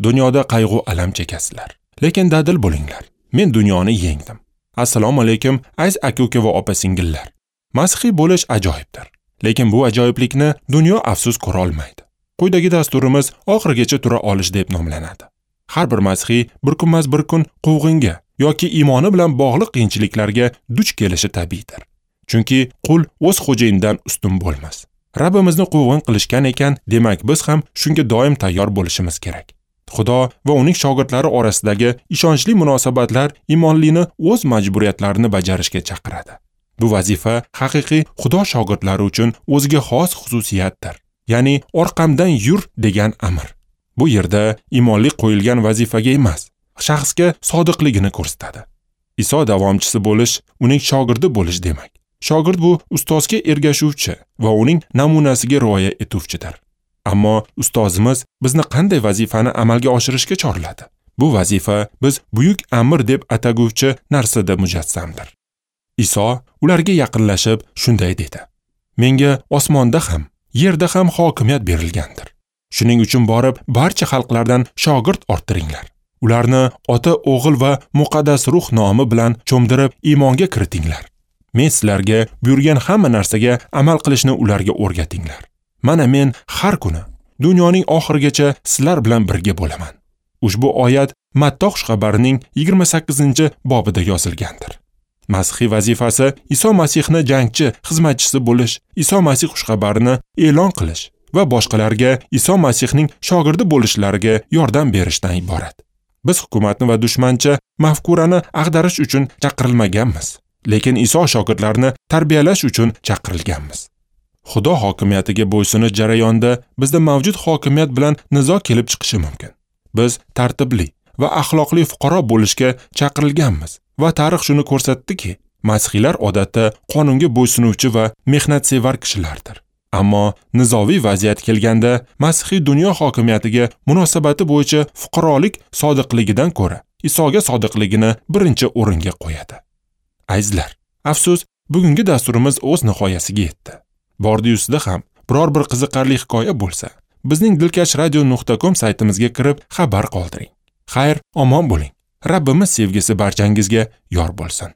Dunyoda qayg'u alam chekasizlar, lekin dadil bo'linglar. Men dunyoni yengdim. Assalomu alaykum, aziz aka-uka va opa-singillar. Masihiy bo'lish ajoyibdir. Lekin bu ajoyiblikni dunyo afsus ko'ra olmaydi. Quyidagi dasturimiz oxirigacha tura olish deb nomlanadi. Har bir masihiy bir kunmas bir kun quvg'inga yoki iymoni bilan bog'liq qiyinchiliklarga duch kelishi tabiiydir. Chunki qul o'z xo'jayinidan ustun bo'lmas. Rabbimizni quvg'in qilishgan ekan, demak biz ham shunga doim tayyor bo'lishimiz kerak. Xudo va uning shogirdlari orasidagi ishonchli munosabatlar iymonlini o'z majburiyatlarini bajarishga chaqiradi. Bu vazifa haqiqiy Xudo shogirdlari uchun o'ziga xos xususiyatdir. Ya'ni orqamdan yur degan amr. Bu yerda iymonli qo'yilgan vazifaga emas, shaxsga sodiqligini ko'rsatadi. Iso davomchisi bo'lish, uning shogirdi bo'lish demak. Shogird bu ustozga ergashuvchi va uning namunasiga rioya etuvchidir. Ammo ustozimiz bizni qanday vazifani amalga oshirishga chorladi? Bu vazifa biz buyuk amr deb ataguvchi narsada mujassamdir. Iso ularga yaqinlashib shunday dedi: Menga osmonda ham, yerda ham hokimiyat berilgandir. Shuning uchun borib barcha xalqlardan shogird orttiringlar. Ularni Ota, O'g'il va Muqaddas Ruh nomi bilan cho'mdirib iymonga kiritinglar. Men sizlarga buyurgan hamma narsaga amal qilishni ularga o'rgatinglar. Mana men har kuni dunyoning oxirigacha sizlar bilan birga bo'laman. Ushbu oyat Matta xushxabarining 28-bobida yozilgandir. Masihiy vazifasi Iso Masihni jangchi, xizmatchisi bo'lish, Iso Masih xushxabarini e'lon qilish va boshqalarga Iso Masihning shogirdi bo'lishlariga yordam berishdan iborat. Biz hukumatni va dushmancha mafkurani ag'darish uchun chaqirilmaganmiz, lekin Iso shogirdlarini tarbiyalash uchun chaqirilganmiz. Xudo hokimiyatiga bo'ysunish jarayonida bizda mavjud hokimiyat bilan nizo kelib chiqishi mumkin. Biz tartibli va axloqli fuqaro bo'lishga chaqirilganmiz va tarix shuni ko'rsatdiki, masihiylar odatda qonunga bo'ysunuvchi va mehnatsevar kishilardir. Ammo nizoviy vaziyat kelganda masihiy dunyo hokimiyatiga munosabati bo'yicha fuqarolik sodiqligidan ko'ra Isoga sodiqligini birinchi o'ringa qo'yadi. Azizlar, afsus, bugungi dasturimiz o'z nihoyasiga yetdi. Bordi-yusida ham biror bir qiziqarli hikoya bo'lsa, bizning dilkashradio.com saytimizga kirib xabar qoldiring. Xayr, omon bo'ling. Rabbimiz sevgisi barchangizga yor bo'lsin.